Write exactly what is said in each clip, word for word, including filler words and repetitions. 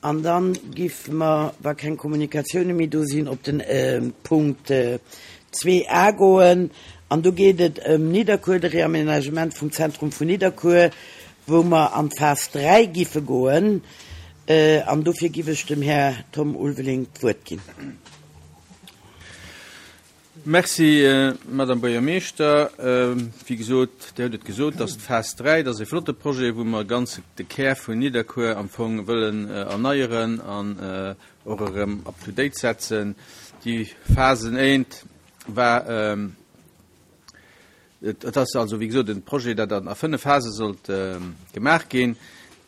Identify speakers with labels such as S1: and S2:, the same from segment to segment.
S1: An dann giffe mer, wa keng Kommunikatioune méi do sinn, op den Punkt zwee a goen. An do geet et ëm Nidderkuer, de Réaménagement vum Zentrum vun Nidderkuer, wou mer an d'Phas dräi giffe goen. An dofir giff ech dem Här Tom Ulveling d'Wuert ginn.
S2: Merci, Madame Buergermeeschter. Wéi gesot, Dir hutt et gesot, dass d'Phas dräi, dat ass e flotte Projet, wou mer ganz de Kär vun Nidderkuer am Fong wëllen erneieren an och erëm up to date setzen. Déi Phasen eent war, et ass also, wéi gesot, e Projet, dat an a fënnef Phase sollt gemaach ginn.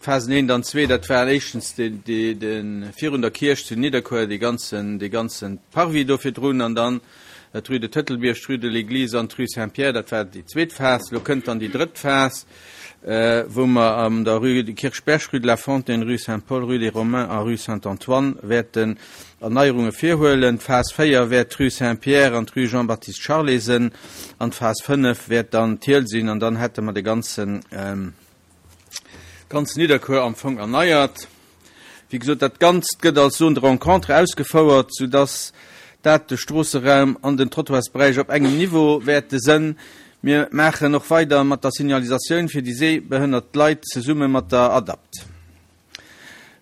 S2: D'Phasen eent an zwee, dat war éischtens de, de, de virun der Kierch zu Nidderkuer, dee ganzen, dee ganzen Parvis do virdrun, an dann d'Rue de Tëtelbierg, d'Rue de l'Église an d'Rue Saint-Pierre, dat war déi zweet Phas. Lo kënnt dann déi drëtt Phas, wou mer an der Rue de Kirchberg, Rue de la Fontaine, Rue Saint-Paul, Rue des Romains a Rue Saint-Antoine wäerten Erneierunge virhuelen. D'Phas véier wäert d'Rue Saint-Pierre an d'Rue Jean-Baptiste Charlet sinn, an d'Phas fënnef wäert dann d'Hiel sinn, an dann hätte mer de ganzen, ganz Nidderkuer am Fong erneiert. Wéi gesot, dat Ganzt gëtt als Zone de rencontre ausgefouert, soudass dat de Stroosseraum an den Trottoirsberäich op engem Niveau wäerte sënn. Mir maachen och weider mat der Signalisatioun fir déi sehbehënnert Leit zesumme mat der ADAPT.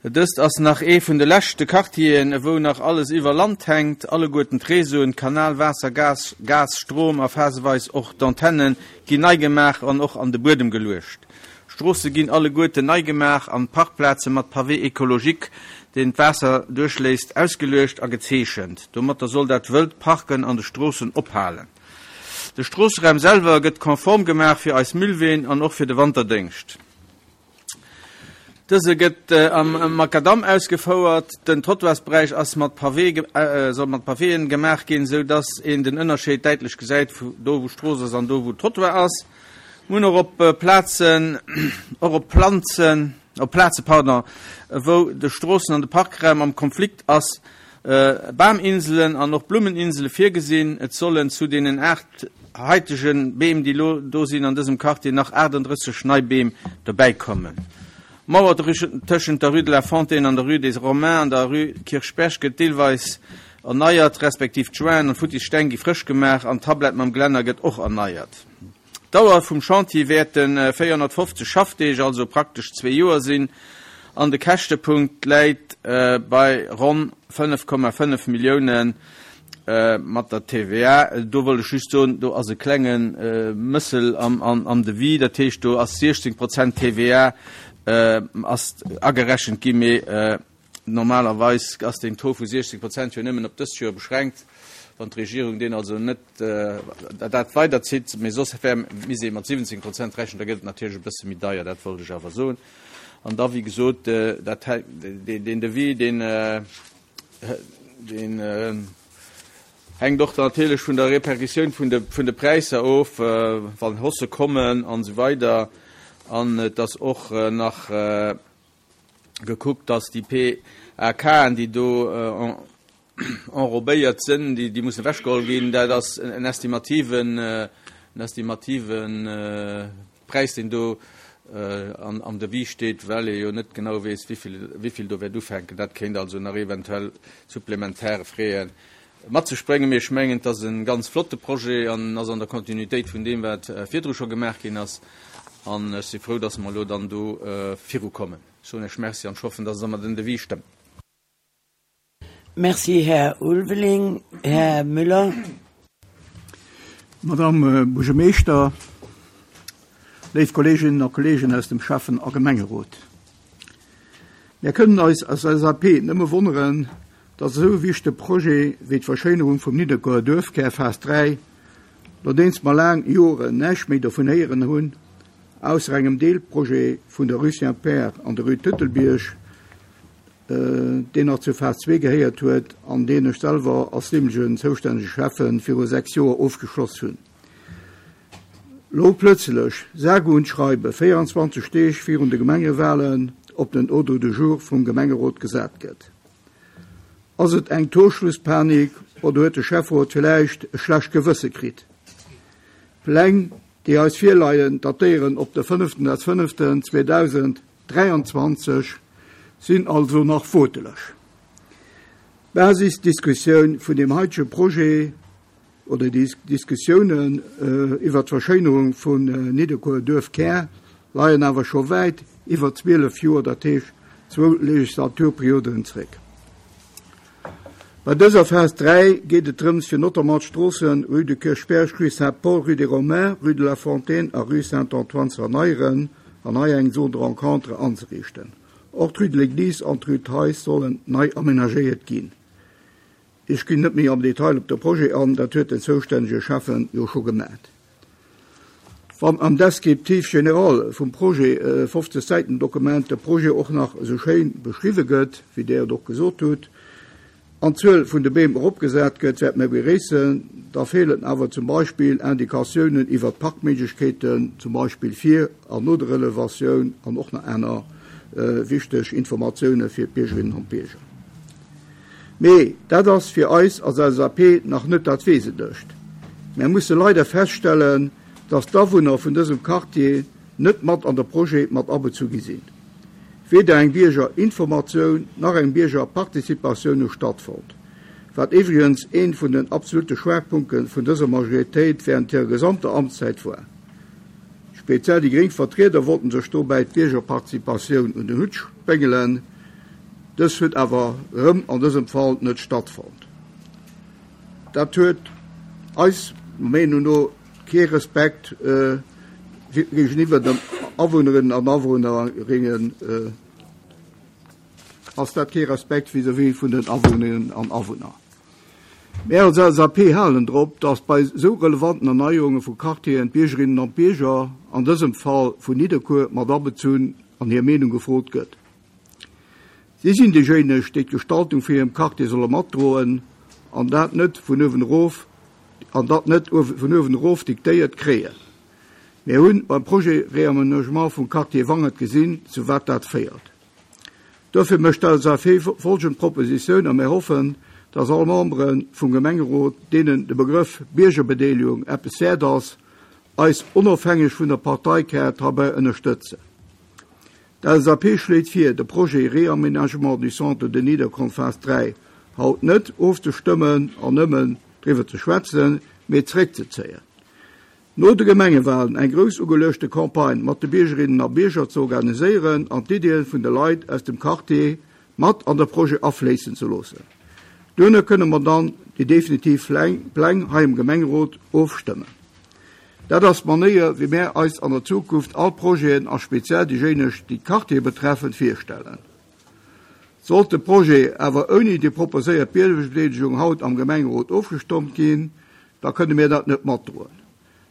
S2: Dëst ass nach ee vun de leschte Quartieren, wou nach alles iwwer Land hänkt. Alleguerten d'Réseauen, Kanal, Waasser, Gas, Gas, Strom a phaseweis och d'Antennen ginn nei gemaach an och an de Buedem geluecht. Stroosse ginn alleguerten nei gemaach an Parkplaze mat Pavé écologique, deen d'Waasser duerchléisst, ausgeluecht a gezeechent. Domatter soll dat wëllt Parken an de Stroossen ophalen. De Stroosseraum selwer gëtt konform gemaach fir eis Müllween an och fir de Wanterdéngscht. Dëse gëtt am Makadam ausgefouert. Den Trottoirsberäich ass mat Pavé, soll mat Pavéen gemaach ginn, sou dass een den Ënnerscheed däitlech gesäit, do wou Strooss ass an do wou Trottoir ass. Mir hunn och op Plazen, och op Planzen, op Plaze, pardon, wou de Stroossen an de Parkraum am Konflikt ass, Baminselen an och Blummeninsele virgesinn. Et sollen zu deenen aacht haitege Beem, déi lo do sinn an dësem Quartier, nach aachtanddrësseg nei Beem dobäikommen. D'Mauer tëschent der Rue de la Fontaine an der Rue des Romains an der Rue Kirchberg gëtt deelweis erneiert, respektiv d'Jointen an d'futtis Steng gi frësch gemaach an d'Tablett mam Glänner gëtt och erneiert. D'Dauer vum Chantier wäerte véierhonnertfofzeg Schaffdeeg, also praktesch zwee Joer sinn, an de Käschtepunkt läit bei ronn fënnef Komma fënnef Millioune mat der T V A. Do wollt ech just soen, do ass e klenge Mëssel am, am, am Devis, dat heescht, do ass siechzéng Prozent T V A ass agerechent ginn, mee normalerweis ass den Taux vu siechzéng Prozent jo nëmmen op dëst Joer beschränkt. Wann d'Regierung deen also net dat weiderzitt, mee soss wär misst ee mat siwwenzéng Prozent rechnen, da gëtt et natierlech e bësse méi deier, dat wollt ech awer soen. An da, wéi gesot, dat deen Devis, deen deen hänkt och natierlech vun der Repercussioun vun de vun de Präisser of, wann Haussë kommen an esou weider. An et ass och nach gekuckt, dass déi P A K'en, déi do enrobéiert sinn, déi déi mussen ewechgeholl ginn. Dat ass en estimativen en estimativen Präis, deen do an am Devis steet, well ee jo net genau weess, wéivill wéivill do wäert ufänken. Dat kéint also nach eventuell supplementär Frais mat sech bréngen. Mee ech mengen, et ass e ganz flotte Projet an ass an der Kontinuitéit vun deem, wat virdru scho gemaach ginn ass. An ech si frou, dass mer elo dann do virukommen. Ech soen Iech Merci an ech hoffen, dass Der mer den Devis stëmmt.
S1: Merci, Här Ulveling. Här Müller.
S3: Madame Buergermeeschter, léif Kolleeginnen a Kolleegen aus dem Schäffen- a Gemengerot. Mir kënnen eis als L S A P nëmme wonneren, dass esou e wichtege Projet wéi d'Verschéinerung vum Nidderkuerer Duerfkär Phas dräi, nodeems mer laang Joren näischt méi dovun héieren hunn, ausser engem Deelprojet vun der Rue Saint-Pierre an der Rue Tëtelbierg, deen nach zur Phas zwee gehéiert huet an deen ech selwer als deemolegen zoustännege Schäffe viru sechs Joer ofgeschloss hunn. Lo plötzlech, sage und schreibe, véierundzwanzeg Deeg virun de Gemengewalen op den Ordre du jour vum Gemengerot gesat gëtt. Ass et eng Torschlusspanik oder huet de Schäfferot vläicht e schlecht Gewësse kritt? Pläng, déi eis virleien, datéieren op de fënneften fënneften zweedausend dräianzwanzeg. sinn also nach woteleg. Basisdiskussioun vun dem heitege Projet oder déi Diskussiounen iwwer d'Verschéinerung vun Nidderkuer Duerfkär leien awer scho wäit iwwer zwielef Joer, dat heescht zwou Legislaturperioden zréck. Bei dëser Phas dräi geet et drëms, fir notamment d'Stroossen Rue de Kirchberg, Rue Saint-Paul, Rue des Romains, Rue de la Fontaine a Rue Saint-Antoine ze erneieren an hei eng Zone de rencontre anzeriichten. Och d'Rue de l'Église an d'Rue Theis sollen nei amenagéiert ginn. Ech ginn net méi am Detail op de Projet an, dat huet den zoustännege Schäffen jo scho gemat. Wann am Descriptif général vum Projet, fofzeg Säiten Dokument, de Projet och nach esou schéin beschriwwe gëtt, wéi Der et och gesot hutt, an d'Zuel vun de Beem eropgesat gëtt, wäert mir beréissen. Da feelen awer zum Beispill Indikatiounen iwwer d'Parkméiglechkeeten, zum Beispill vir an no der Relevatioun, an och nach aner wichteg Informatioune fir d'Biergerinnen an d'Bierger. Mee dat ass fir eis als L S A P nach net dat Wesentlecht. Mir musse leider feststellen, dass d'Awunner vun dësem Quartier net mat an de Projet mat abezu gi sinn. Weder eng Biergerinformatioun nach eng Biergerparticipatioun hu stattfonnt, wat iwwregens een vun den absolute Schwerpunkte vun dëser Majoritéit während hirer gesamter Amtszäit war. Speziell déi gréng Vertrieder wollten sech dobäi d'Biergerparticipatioun un den Hutt spéngelen. Dës huet awer erëm an dësem Fall net stattfonnt. Dat huet eis Meenung no kee Respekt gegenüber den Awunnerinnen an Awunnerinnen, ass dat kee Respekt vis-à-vis vun den Awunnerinnen an Awunner. Mir als L S A P halen drop, dass bei so relevanten Erneuerungen vu Quartieren d'Biergerinnen an d'Bierger, an dësem Fall vun Nidderkuer, mat abezunn an hir Meenung gefrot gëtt. Sie sinn déijéineg, déi d'Gestaltung fir hirem Quartier solle matdroen an dat net vun uewen erof, an dat net vun uewen erof diktéiert kréien. Mir hunn beim Projet Réaménagement vum Quartier Wangert gesinn, zu wat dat féiert. Dofir mécht d'L S A P folgend Propositioun a mir hoffen, dass all Membere vum Gemengerot, deenen de Begrëff Biergerbedeelegung eppes wäert ass, eis onofhängeg vun der Parteikaart heibäi ënnerstëtzen. D'L S A P schléit vir, de Projet Réaménagement du Centre de Niederkorn Phase dräi haut net ofzestëmmen an nëmmen driwwer ze schwätzen, mee zréckzezéien. No de Gemengewahlen eng grouss ugeluechte Campagne mat de Biergerinnen a Bierger ze organiséieren an d'Iddien vun de Leit aus dem Quartier mat an de Projet afléissen ze loossen. Duerno kënne mer dann déi definitiv Pläng hei im Gemengerot ofstëmmen. Dat ass d'Manéier, wéi mir eis an der Zukunft all Projeten a speziell déijéineg, déi d'Quartier betreffen, virstellen. Sollt de Projet awer ouni déi proposéiert Biergerbedeelegung haut am Gemengerot ofgestommt ginn, da kënne mir dat net matdroen.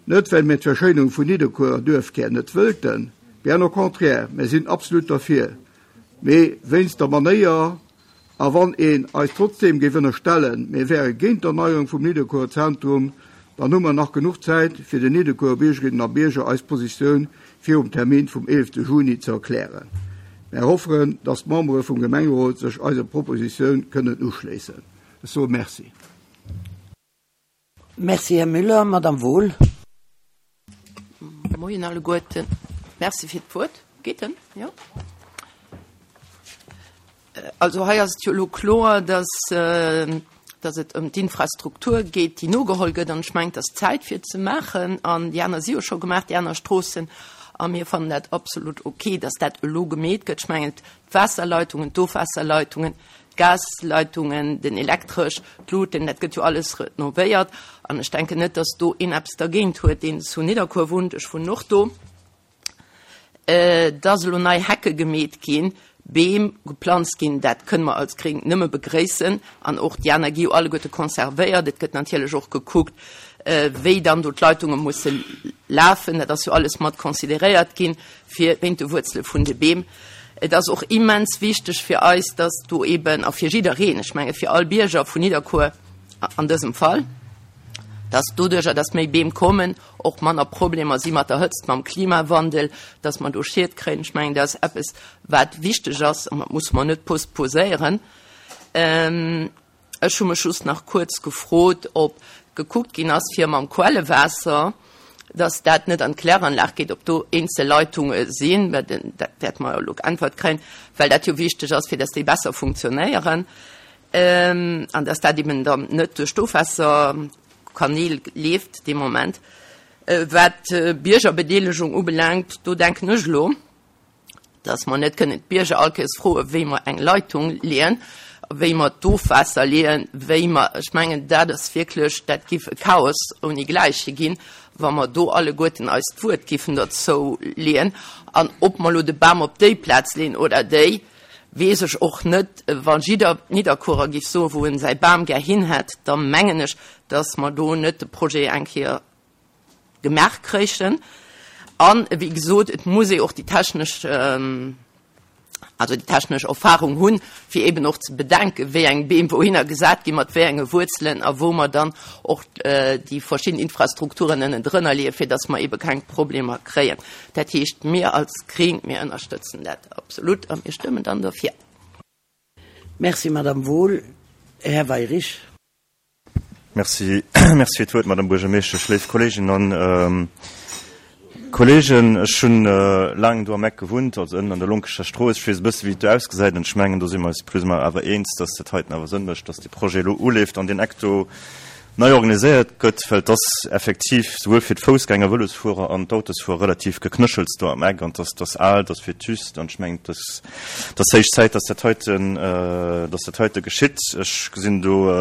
S3: Net, well mir d'Verschéinerung vun Nidderkuer Duerfkär net wëllten, bien au contraire, mir sinn absolut dafür. Mee wéinst der Manéier, a wann een eis trotzdem géif ënnerstellen, mir wäre géint d'Erneuerung vum Nidderkuer Zentrum, dann hu mer nach genuch Zäit, fir den Nidderkuer Biergerinnen a Bierger eis Positioun virum Termin vum elfte Juni ze erklären. Mir hoffen, dass d'Membere vum Gemengerot sech eiser Propositioun kënnen uschléissen. Ech soe Merci.
S1: Merci, Herr Müller. Madame Wohl.
S4: Moien alleguerten. Merci fir d'Wuert. Geht denn? Ja. Also hei ass et jo lo kloer, dass, äh, dass et ëm d'Infrastruktur geet, déi nogeholl gëtt, an ech mengen, dass Zäit fir ze maachen, an déi aner si jo scho gemaach, déi aner Stroossen, a mir fannen dat absolut okay, dass dat elo gemeet gëtt. Ech mengen, d'Waasserleitungen, d'Ofwaasserleitungen, d'Gasleitungen, den Elektresch, d'Luten, dat gëtt jo alles renovéiert, an ech denken net, dass do een eppes dergéint huet, deen zu Nidderkuer wunnt, ech wunnen och do. Äh, dass elo nei Hecke gemeet ginn, Beem geplanzt ginn, dat kënne mer als Gréng nëmme begréissen, an och déi aner gi jo alleguerte konservéiert. Et gëtt natierlech och gekuckt, äh, wéi dann do d'Leitunge musse lafen, dat ass jo alles mat consideréiert ginn fir wéint de Wuerzele vun de Beem. Et ass och immens wichteg fir eis, dass do eben, a fir jiddereen, ech menge fir all Bierger vun Nidderkuer an dësem Fall, dass doduercher, dass méi Beem kommen, och manner Problemer si mat der Hëtzt, mam Klimawandel, dass man do Schied kréien. Ech mengen, dat ass eppes, wat wichteg ass, an dat muss man net postposéieren. Ähm, ech hu mech just nach kuerz gefrot, ob gekuckt ginn ass, fir mam Quellewaasser, dass dat net an d'Kläranlag geet, ob do eenzel Leitunge sinn, well dat wäerte mer jo elo geäntwert kréien, well dat jo wichteg ass, fir dass déi besser funktionéieren an dass dat eben dann net duerch d'Ofwaasserkanäl leeft dee Moment. Wat d'Biergerbedeelegung ubelaangt, do denken ech elo, dass mer net kënnen d'Bierger all Kéiers froen, wéi mer eng Leitung leeën, wéi mer d'Ofwaasser leeën, wéi mer, ech mengen, dat ass wierklech, dat giff e Chaos ouni Gläiche ginn, wa mer do alleguerten eist Wuert giffen dozou leeën. An ob mer elo de Bam op déi Plaz leeën oder déi, weess ech och net. Wa jidder Nidderkuerer giff soen, wou en säi Bam gär hin hätt, da mengen ech, dass mer do net de Projet eng Kéier gemaach kréichen. An, wéi gesot, et muss ee och déi technesch, also déi technesch Erfahrung hunn, fir eben och ze bedenken, wéi eng Beem wouhinner gesat ginn, mat wéi enge Wuerzelen a wou mer dann och déi verschidden Infrastrukturen ënnendrënner leeën, fir dass mer ebe keng Problemer kréien. Dat heescht, mir als Gréng, mir ënnerstëtzen dat absolut a mir stëmmen dann dofir.
S1: Merci, Madame Wohl. Här Weyrich.
S5: Merci, merci fir d'Wuert, Madame Buergermeeschtesch. Léif Kolleeginnen an Kolleegen, ech hunn laang do am Eck gewunnt, also ënnen an der Lonkescher Strooss. Ech weess e bësse wéi et do ausgesäit an ech mengen, do si mer eis plus ou moins awer eens, dass dat heiten awer Sënn mécht, dass dee Projet elo uleeft an deen Eck do nei organiséiert gëtt, well et ass effektiv souwuel fir d'Foussgänger, Vëlosfuerer an d'Autosfuerer relativ geknéchels do am Eck an et ass, et ass al, et ass vétuste an ech mengen, et ass, et ass héich Zäit, dass dat heiten, dass dat heite geschitt. Ech gesinn do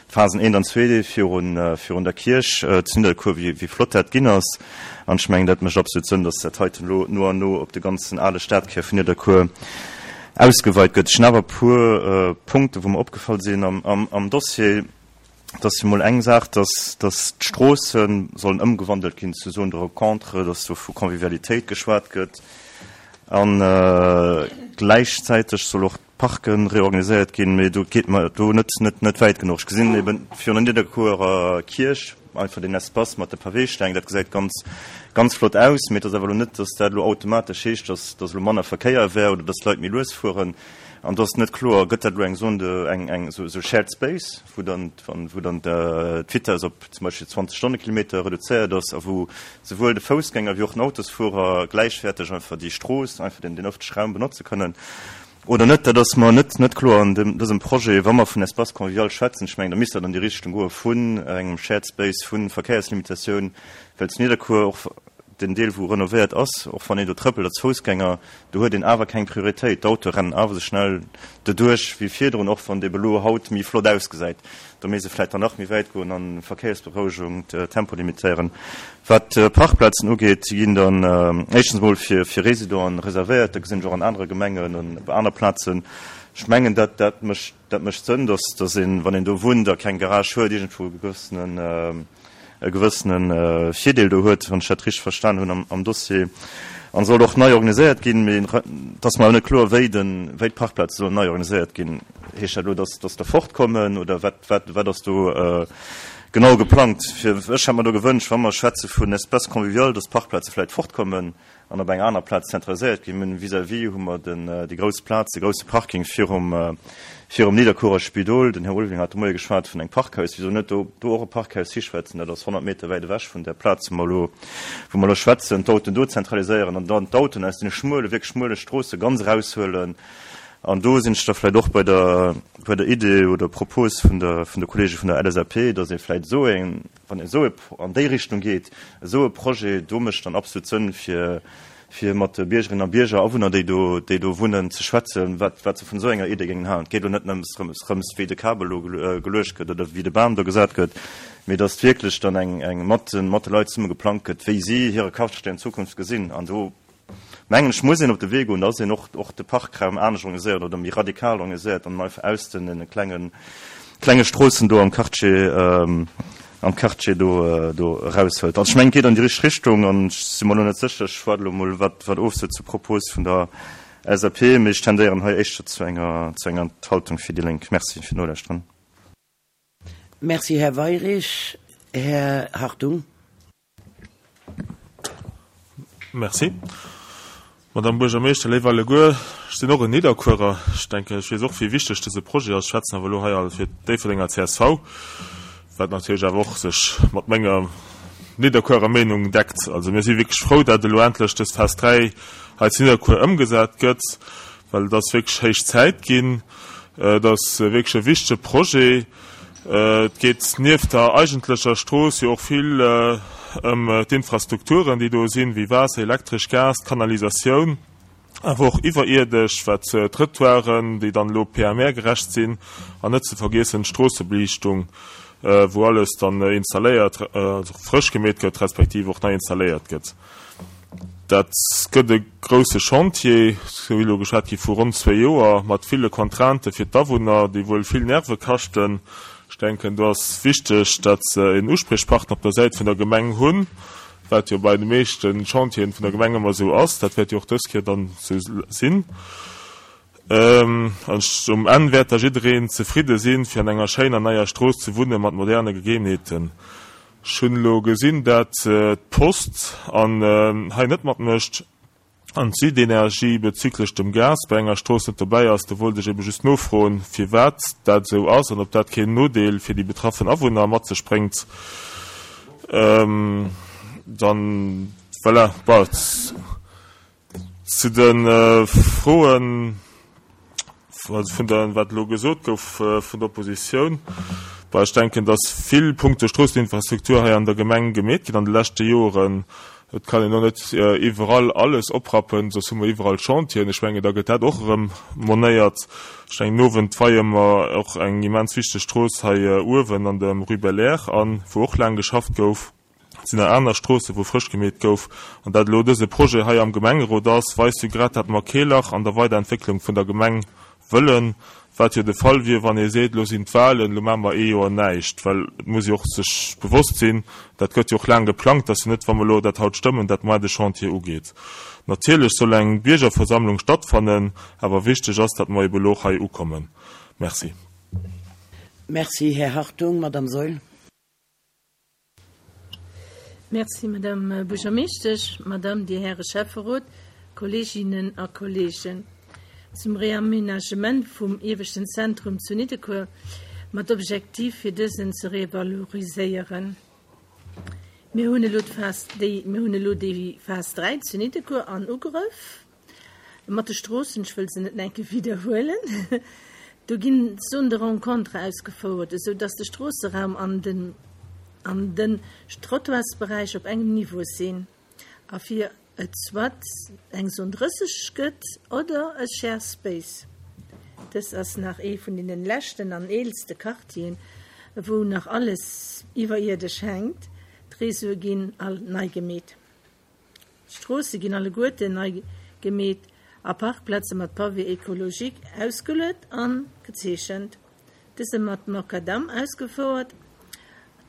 S5: d'Phasen eent an zwee virun, virun der Kierch zu Nidderkuer, wéi, wéi flott dat ginn ass an ech mengen, dat mécht absolut Sënn, dass dat heiten elo no an no op de ganzen ale Stadkär vun Nidderkuer ausgeweit gëtt. Ech hunn awer e puer Punkte wou mer opgefall sinn am, am, am Dossier. Et ass jo mol eng Saach, dass, dass d'Stroosse sollen ëmgewandelt ginn zu Zones de rencontre, dass do vu Convivialitéit geschwat gëtt a gläichzäiteg soll och d'Parke reorganiséiert ginn, mee do geet mer do net, net, net wäit genuch. Ech gesinn eben virun der Nidderkuerer Kierch einfach deen Espace mat de Paweesteng, dat gesäit ganz, ganz flott aus, mee et ass awer elo net, dass dat elo automatesch heescht, dass, dass elo manner Verkéier wär oder dass d'Leit méi lues fueren. An do ass net kloer, gëtt dat elo eng Zone de, eng, eng esou, esou Shared Space, wou dann, wou dann d'Vitess op zum Beispill zwanzeg Stonnekilometer reduzéiert ass a wou souwuel de Foussgänger wéi och den Autosfuerer gläichwäerteg einfach déi Strooss, einfach den, den ëffentleche Raum benotze kënnen oder net. Dat ass mer net, net kloer an dem, dësem Projet. Wa mer vun Espace convivial schwätzen, ech mengen, da misst dat an déi Richtung goe vun engem Shared Space, vu Verkéierslimitatioun, well zu Nidderkuer och den Deel wou renovéiert ass, och wann een do trëppelt als Foussgänger, do huet een awer keng Prioritéit. D'Autoe rennen awer esou schnell doduerch wéi virdrun, och wann dee elo haut méi flott ausgesäit. Do misst ee vläicht dann nach méi wäit goen an Verkéiersberouegung, Tempo limitéieren. Wat d'Parkplazen ugeet, déi ginn dann éischtens emol fir fir Résidenten reservéiert. Dat gesinn ech och an anere Gemengen an op aner Plazen. Ech mengen, dat dat mécht dat mécht Sënn, dass dass een, wann een do wunnt a keng Garage huet, iergendwou e gewëssenen e gewëssene Virdeel do huet, wann ech dat richteg verstan hunn am Dossier, an soll och nei organiséiert ginn. Mee et ass mer awer net kloer, wéi den, wéi d'Parkplaze sollen nei organiséiert ginn. Heescht dat elo, dass, dass der fortkommen oder wat, wat, wat ass do genau geplangt? Fir, ech hätt mer do gewënscht, wa mer schwätze vun Espace convivial, dass d'Parkplaze vläicht fortkommen an op eng aner Plaz zentraliséiert ginn. Mir hunn vis-à-vis hu mer den, déi grouss Plaz, de grousse Parking virum, virum Nidderkuerer Spidol. Den Här Ulveling hat de Moie geschwat vun engem Parkhaus. Wisou net do, do och e Parkhaus hischwätzen? Dat ass honnert Meter wäit ewech vun där Plaz, wou mer elo, wou mer elo schwätzen. D'Autoen do zentraliséieren an dann d'Autoen aus deene schmuele, wierklech schmuele Stroosse ganz eraushuelen. An do sinn ech da vläicht och bei der, bei der Idee oder Propos vun der, vun de Kollege vun der L S A P, dass ee vläicht esou eng, wann een esou e, an déi Richtung geet, esou e Projet do mécht dann absolut Sënn, fir, fir mat de Biergerinnen a Bierger, Awunner, déi do, déi do wunnen, ze schwätzen, wat, wat se vun esou enger Idee géingen halen. Et geet elo net nëmms drëms, rëms, wéi de Kabel elo geluecht gëtt oder wéi de Bam do gesat gëtt, mee dass wierklech dann eng, eng mat den, mat de Leit zesumme geplangt gëtt, wéi si hire Quartier an Zukunft gesinn. An do, mengen ech, muss een op de Wee goen, dass een och, och de Parkraum anescht organiséiert oder méi radikal organiséiert an einfach aus den klengen, klenge Stroossen do am Quartier, am Quartier do, do eraushëlt. Also ech mengen, et geet an déi richteg Richtung an ech si mer elo net sécher, ech waarde elo mol, wat, wat ofsëtzt zur Propos vun der L S A P, mee ech tendéieren hei éischter zu enger, zu enger Enthaltung fir déi Lénk. Merci fir d'Nolauschteren.
S1: Merci, Här Weyrich. Här Hartung.
S6: Merci. Madame Buergermeeschter, léif alleguer, ech sinn och en Nidderkuerer. Ech denken, ech weess och, wéi wichteg dëse Projet ass. Ech schwätzen awer elo hei all fir d'Déifferdenger C S V, wat natierlech awer och sech mat menger Nidderkuerer Meenung deckt. Also mir si wierklech frou, dat elo endlech dës Phas dräi hei zu Nidderkuer ëmgesat gëtt, well et ass wierklech héich Zäit ginn. Et ass wierklech e wichtege Projet. Et geet nieft der eigentlecher Strooss jo och vill ëm d'Infrastrukturen, déi do sinn, wéi Waasser, Elektresch, Gas, d'Kanalisatioun, awer och iwwerierdesch, wat d'Trëttoiren, déi dann elo P M R-gerecht sinn, an net ze vergiessen d'Stroossebeliichtung, wou alles dann installéiert, also frësch gemeet gëtt, respektiv och nei installéiert gëtt. Dat gëtt e grousse Chantier, sou wéi elo geschwat gi vu ronn zwee Joer, mat ville Contraintë fir d'Awunner, déi wuel vill Nerve kaschten. Ech denken, do ass wichteg, datt se en Uspriechpartner op der Säit vun der Gemeng hunn, wat jo bei de meeschte Chantieren vun der Gemeng ëmmer esou ass. Dat wäert jo och dës Kéier dann esou sinn. An um Enn wäert da jiddereen zefridde sinn, fir an enger schéiner neier Strooss ze wunne mat moderne Gegebenheeten. Ech hunn elo gesinn, dat d'Post an hei net matmécht an d'Südenergie bezüglech dem Gas bei enger Strooss net dobäi ass. Do wollt ech ebe just nofroen, firwat dat esou ass an ob dat keen Nodeel fir déi betraffen Awunner mat sech bréngt. Dann, voilà, bon, zu de Froen, also vun der, wat elo gesot gouf vun der Oppositioun. Bon, ech denken, dass vill punkto Stroosseninfrastruktur hei an der Gemeng gemeet ginn an de leschte Joren. Et kann een och net iwwerall alles oprappen, soss hu mer iwwerall Chantieren. Ech mengen, da gëtt dat och erëm monéiert. Ech mengen, den Owend weie mer och eng immens wichteg Strooss hei uewen an der Rue Belair an, wou och laang geschafft gouf. Et sinn nach aner Stroossen, wou frësch gemeet gouf. An dat elo dëse Projet hei am Gemengerot ass, weist jo grad, dat mer kee Lach an der Weiderentwécklung vun der Gemeng wëllen, wat jo de Fall wier, wann ee seet, elo sinn d'Wahlen, elo maache mer ee Joer näischt. Well et muss ee och sech bewosst sinn, dat gëtt jo och laang geplangt, dass jo net, wa mer elo dat haut stëmmen, dat moar de Chantier ugeet. Natierlech soll eng Biergerversammlung stattfannen, awer wichteg ass, datt mer ebe elo och hei ukommen. Merci.
S1: Merci, Här Hartung. Madame Saeul.
S7: Merci, Madame Buergermeeschtesch, Madame, Dir Häre Schäfferot, Kolleeginnen a Kolleegen. Zum Reamenagement vum ieweschten Zentrum zu Nidderkuer mat Objektiv fir dësen ze revaloriséieren. Mir hunn elo d'Phas, déi, mir hunn elo déi Phas dräi zu Nidderkuer an Ugrëff mat de Stroossen, ech wëll se net enke widderhuelen. Do ginn Zone de rencontre ausgefouert, esou dass de Stroosseraum an den an den Trottoirsberäich op engem Niveau sinn a fir et soit eng Zone drësseg gëtt oder e Share Space. Dës ass nach ee vun den leschten an eelste Quartieren, wou nach alles iwwerierdesch hänkt. D'Réseaue ginn all nei gemeet. D'Stroosse ginn alleguerten nei gemeet a Parkplaze mat Pavé écologique ausgeluet an gezeechent. Dëse mat Makadam ausgefouert.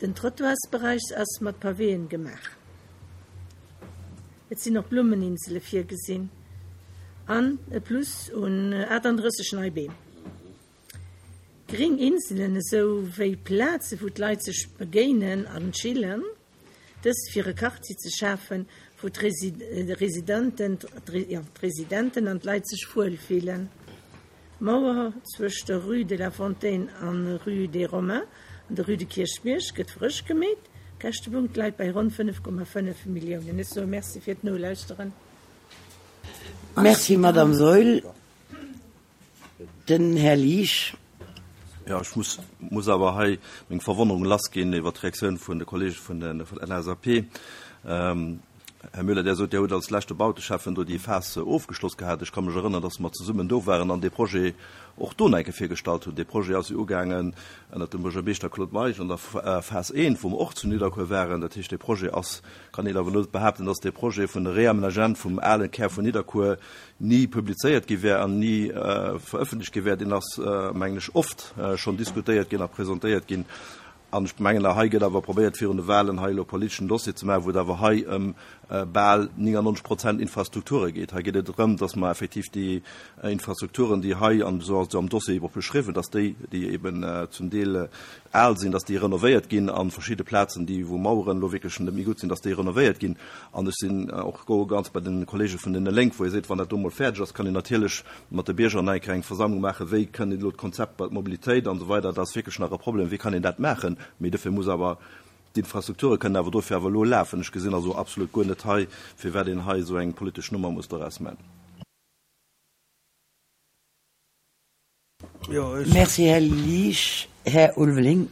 S7: Den Trottoirsberäich ass mat Pavéen gemaach. Et sinn och Blummeninsele virgesinn an e Plus un achtandrësseg nei Beem. Gréng Inselen esou wéi Plaze wou d'Leit sech begéinen an chillen, dëst fir e Quartier ze schafen, wou d'Residenten, ja, d'Residenten an d'Leit sech wuel fillen. D'Mauer zwëscht der Rue de la Fontaine an Rue des Romains an der Rue de Kierchbierg gëtt frësch gemeet. Käschtepunkt läit bei ronn fënnef Komma fënnef Milliounen. Ech soe Merci fir d'Nolauschteren.
S1: Merci, Madame Saeul. Den Här Liesch.
S8: Ja, ech muss, muss awer hei meng Verwonnerung lassginn iwwer d'Reaktioun vun de Kollege vun der vun L S A P. Ähm, Här Müller, Dir sot, Dir hutt als leschte Bauteschäffen do déi Phas ofgeschloss gehat. Ech ka mech erënneren, dass mer zesummen do waren an de Projet och do enke virgestallt hunn. De Projet ass ugaangen ënner dem Buergermeeschter Claude Meisch an der Phas eent, wou mer och zu Nidderkuer waren. Dat heescht, de Projet ass, kann een awer net behaapten, dass de Projet vun de Reamenagement vum ale Kär vun Nidderkuer ni publizéiert gi wär an ni äh, verëffentlecht gi wär. Den ass äh, mengen ech oft äh, schonn diskutéiert ginn a presentéiert ginn. An ech mengen, hei gëtt awer probéiert virun de Wahlen hei e politeschen Dossier ze maachen, wou awer hei ëm äh, bal neunundneunzeg Prozent Infrastrukture geet. Hei geet et drëm, dass mer effektiv déi äh, Infrastrukturen, déi hei an so am Dossier iwwer beschriwwen, dass déi déi eben äh, zum Deel äh, al sinn, dass déi renovéiert ginn an verschidde Plazen, déi wou Maueren lo wierklech net méi gutt sinn, dass déi renovéiert ginn. An ech sinn äh, och go ganz bei den Kollege vun den Lénk, wou ee seet, wann dat do mol fäerdeg ass, kann een natierlech mat de Bierger eng Versammlung maachen, wéi kënnen d'Konzept bei Mobilitéit an esou weider, dat ass wierklech nach e Problem, wéi kann een dat maachen? Mee dofir muss awer D'Infrastrukture kënnen awer dofir awer elo lafen. Ech gesinn also absolut guer net hei, firwat een hei esou eng politesch Nummer muss doraus man.
S1: Merci, Här Liesch. Här Ulveling.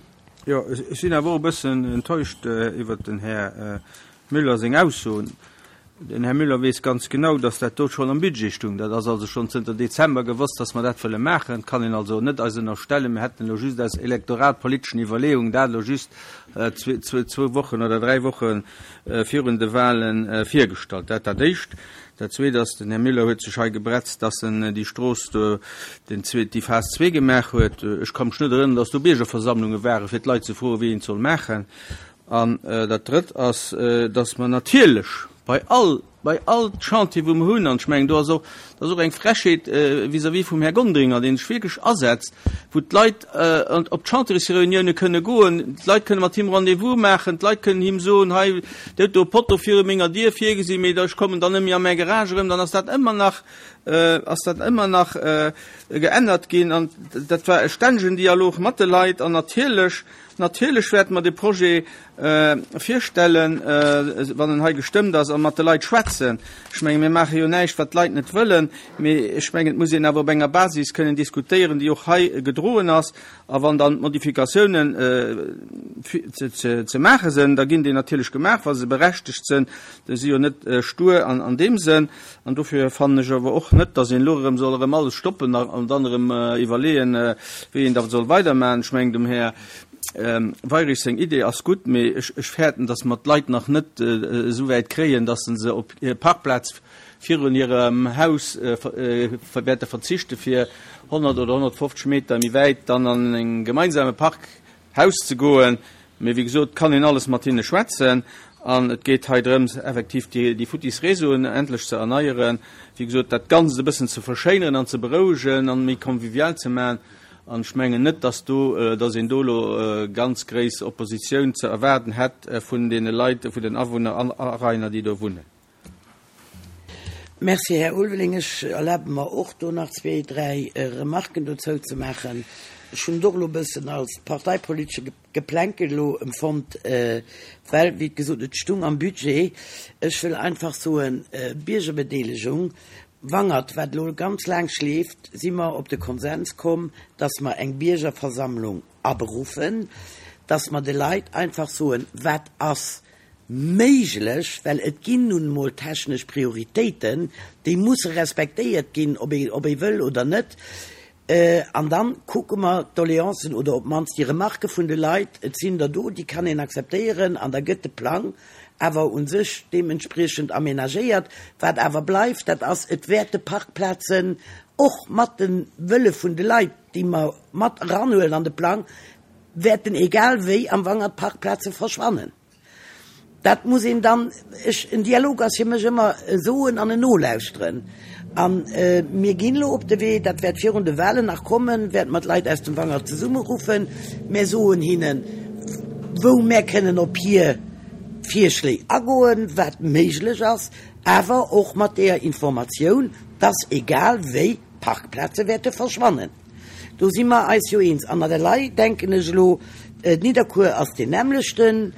S2: Jo, ech sinn awer och e bëssen enttäuscht iwwert den Här Müller seng Aussoen. Den Här Müller weess ganz genau, dass dat do schonn am Budget stung. Dat ass also schonn zënter Dezember gewosst, dass mer dat wëlle maachen. Et kann een also net eis ënnerstellen, mir hätten elo just aus elektoratpoliteschen Iwwerleeungen dat elo just zwou Wochen oder dräi Woche virun de Wahlen virgestallt. Dat dat Éischt. Dat Zweet ass, den Här Müller huet sech hei gebretzt, dass en déi Strooss do, den zwee, déi Phas zwee gemaach huet. Ech ka mech net erënneren, dass do Biergerversammlunge ware fir d'Leit ze froen, wéi een et soll maachen. An dat Drëtt ass, dass mer natierlech bei all, bei all Chantier, wou mer hunn, an ech mengen, do ass och, dat ass och eng Frechheet vis-à-vis vum Här Gonderinger, dee sech wierklech asetzt, wou d'Leit op d'Chantiersreunioune kënne goen, d'Leit kënne mat him Rendez-vous maachen, d'Leit kënnen him soen, hei, Dir hutt do e Potto viru menger Dier virgesinn, mee ech kommen dann net méi a mäi Garage erëm, dann ass dat ëmmer nach, ass dat ëmmer nach geännert ginn. An dat war e stännegen Dialog mat de Leit. An natierlech, natierlech wäerte mer de Projet virstellen, wann en hei gestëmmt ass, a mat de Leit schwätzen. Ech menge mir maache jo näischt, wat d'Leit net wëllen, mee ech mengen, et muss een awer op enger Basis kënnen diskutéieren, déi och hei gedroen ass. A wann dann d'Modifikatiounen ze maache sinn, da ginn déi natierlech gemaach, wa se berechtegt sinn. Déi si jo net stur an deem Sënn. An dofir fannen ech awer och net, datt een elo erëm soll erëm alles stoppen an dann erëm iwwerleeën, wéi een da soll weidermachen. Ech mengen, dem Här Weirich seng Idee ass gutt, mee ech fäerten, datt mer d'Leit nach net esou wäit kréien, datt se op hir Parkplaz virun hirem Haus wäerte verzichte fir honnert oder honnertfofzeg Meter méi wäit dann an e gemeinsame Parkhaus ze goen. Mee wéi gesot, kann een alles mat hinne schwätzen. An et geet hei drëms, effektiv déi futtis Réseauen endlech ze erneieren, wéi gesot, dat Ganzt e bëssen ze verschéineren an ze berouegen an méi convivial ze maachen. An ech mengen net, dass do, dass een do elo ganz gréiss Oppositioun ze erwaarden hätt vun deene Leit, vun den Awunner an Arainer, déi do wunnen.
S1: Merci, Här Ulveling. Ech erlabe mer och do nach zwee, dräi Remarken dozou ze maachen. Ech hunn et och elo e bëssen als parteipolitesche Geplänkel elo empfonnt, well, wéi gesot, et stung am Budget. Ech wëll einfach soen, Biergerbedeelegung, Wangert, wat elo ganz laang schleeft, si mer op de Konsens komm, dass mer eng Biergerversammlung aberuffen, dass mer de Leit einfach soen, wat ass méiglech, well et ginn nun emol technesch Prioritéiten, déi musse respektéiert ginn, ob ee, ob ee wëll oder net. An dann kucke mer d'Doleancen oder op d'mannst déi Remarquë vun de Leit, et sinn der do, déi kann een akzeptéieren, an da gëtt de Plang awer u sech deementspriechend aménagéiert. Wat awer bleift, dat ass, et wäerte Parkplazen och mat de Wëlle vun de Leit, déi mer mat eranhuelen an de Plang, wäerten egal wéi am Wangert Parkplaze verschwannen. Dat muss een dann, ech, en Dialog ass fir mech ëmmer e Soen an en Nolauschteren. A mir ginn elo op de Wee, dat wäert virun de Wahlen nach kommen, wäerte mer d'Leit aus dem Wangert zesummeruffen. Mär soen hinnen, wou mär kënnen op hir Virschléi agoen, wat méiglech ass, awer och mat deeër Informatioun, dass egal wéi Parkplaze wäerte verschwannen. Do si mer eis jo eens. An elei denken ech elo, Nidderkuer ass deen nämmlechten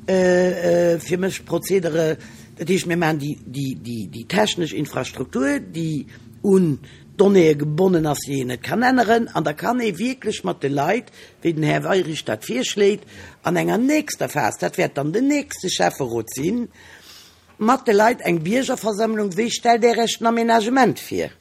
S1: fir mech Prozedere. Dat heescht, mir maachen déi technesch Infrastruktur, déi un Donnéeë gebonnen ass, déi een net kann änneren. An da kann ee wierklech mat de Leit, wéi den Här Weirich dat virschléit, an enger nächster Phas, dat wäert dann den nächste Schäfferot sinn, mat de Leit eng Biergerversammlung, wéi stellt Där Iech den Aménagement vir?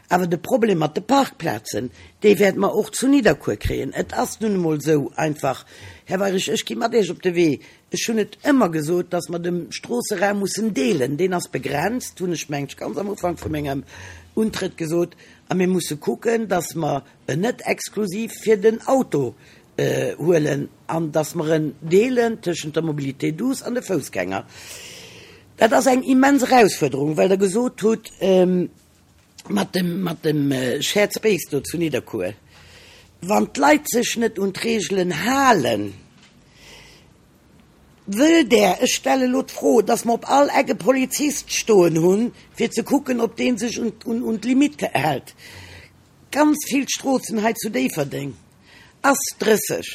S1: Awer de Problem mat de Parkplazen, dee wäerte mer och zu Nidderkuer kréien. Et ass nun emol esou einfach, Här Weirich, ech gi mat Iech op de Wee, ech hunn et ëmmer gesot, dass mer de Stroosseraum mussen deelen. Deen ass begrenzt, hunn ech, mengen ech, ganz am Ufank vu mengem Untrëtt gesot. A mir musse kucken, dass mer en net exklusiv fir den Auto huelen an dass mer en deelen tëschent der Mobilité douce an de Foussgänger. Dat ass eng immens Erausfuerderung, well Der gesot hutt, mat dem, mat dem Shared Space do zu Nidderkuer, wann d'Leit sech net un d'Regelen halen, wëllt Der, ech stelle elo d'Fro, dass mer op all Eck e Polizist stoen hunn, fir ze kucken, ob dee sech un, un, un d'Limite hält? Ganz vill Stroossen hei zu Déifferdeng ass drësseg.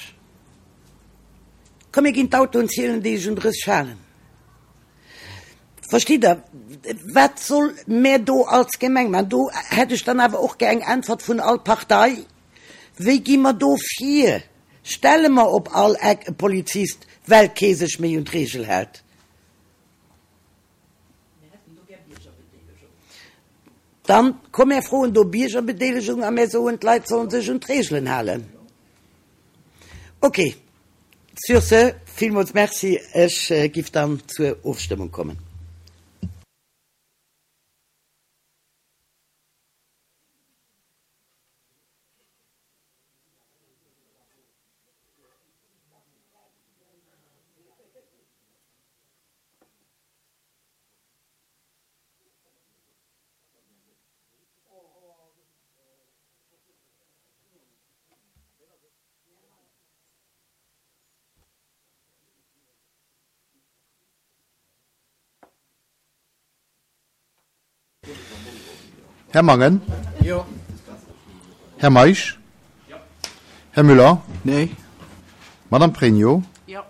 S1: Komm mir ginn d'Autoen zielen, déi sech un drësseg halen. Verstitt Der? Wat soll mär do als Gemeng maachen? Do hätt ech dann awer och gär eng Äntwert vun all Partei. Wéi gi mer do vir? Stelle mer op all Eck e Polizist, well kee sech méi un d'Regel hält? Dann komm mär froen do Biergerbedeelegung a mär soen, d'Leit sollen sech un d'Regelen halen. Ok, sur ce, villmools Merci. Ech giff dann zur Ofstëmmung kommen.
S9: Här Mangen?
S3: Jo.
S9: Här Meisch?
S2: Jo.
S9: Här Müller?
S3: Nee.
S9: Madame Pregno?
S4: Jo.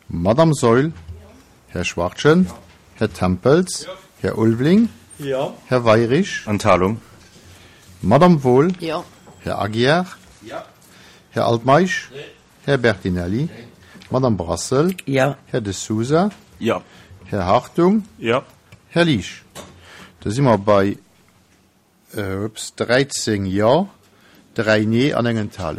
S9: Madame Saeul? Jo. Här Schwachtgen?
S2: Jo.
S9: Här Tempels?
S2: Jo.
S9: Här Ulveling?
S2: Jo.
S9: Här Weirich?
S5: Enthalung.
S9: Madame Wohl?
S4: Jo.
S9: Här Aguiar?
S2: Jo.
S9: Här Altmeisch?
S2: Nee.
S9: Här Bertinelli?
S2: Nee.
S9: Madame Brassel?
S1: Jo.
S9: Här De Sousa?
S5: Jo.
S9: Här Hartung?
S6: Jo.
S9: Här Liesch? Da si mer bei, ups, dräizéng Jo, dräi Nee an eng Enthalung.